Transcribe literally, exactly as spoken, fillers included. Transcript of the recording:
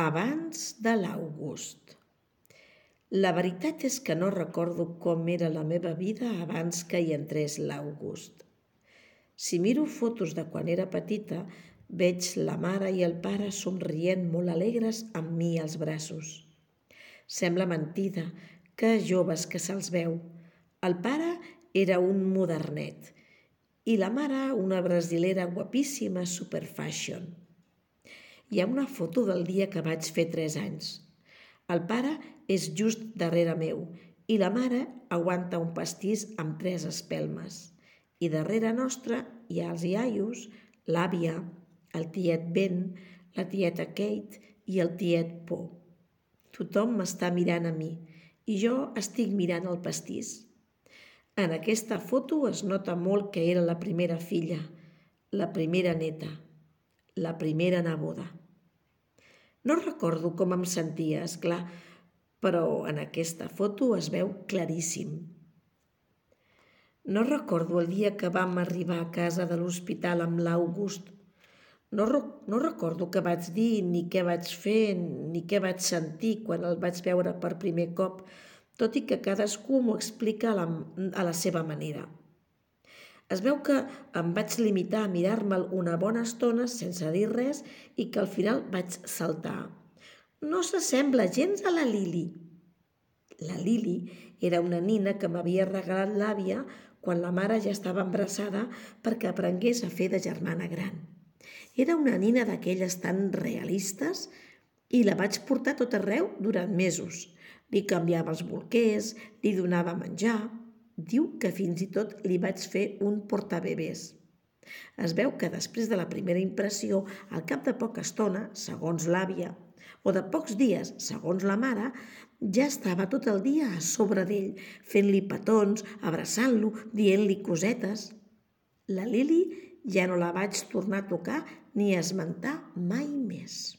Abans de l'August. La veritat és que no recordo com era la meva vida abans que hi entrés l'August. Si miro fotos de quan era petita, veig la mare i el pare somrient molt alegres amb mi als braços. Sembla mentida, que joves que se'ls veu. El pare era un modernet i la mare una brasilera guapíssima superfashion. Hi ha una foto del dia que vaig fer tres anys. El pare és just darrere meu i la mare aguanta un pastís amb tres espelmes. I darrere nostra hi ha els iaios, l'àvia, el tiet Ben, la tieta Kate i el tiet Po. Tothom m'està mirant a mi i jo estic mirant el pastís. En aquesta foto es nota molt que era la primera filla, la primera neta, la primera neboda. No recordo com em sentia, esclar, però en aquesta foto es veu claríssim. No recordo el dia que vam arribar a casa de l'hospital amb l'August. No, no recordo què vaig dir, ni què vaig fer, ni què vaig sentir quan el vaig veure per primer cop, tot i que cadascú m'ho explica a la, a la seva manera. Es veu que em vaig limitar a mirar-me'l una bona estona sense dir res i que al final vaig saltar. No s'assembla gens a la Lili. La Lili era una nina que m'havia regalat l'àvia quan la mare ja estava embarassada perquè aprengués a fer de germana gran. Era una nina d'aquelles tan realistes i la vaig portar tot arreu durant mesos. Li canviava els bolquers, li donava menjar. Diu que fins i tot li vaig fer un portabebès. Es veu que després de la primera impressió, al cap de poca estona, segons l'àvia, o de pocs dies, segons la mare, ja estava tot el dia a sobre d'ell, fent-li petons, abraçant-lo, dient-li cosetes. La Lili ja no la vaig tornar a tocar ni a esmentar mai més.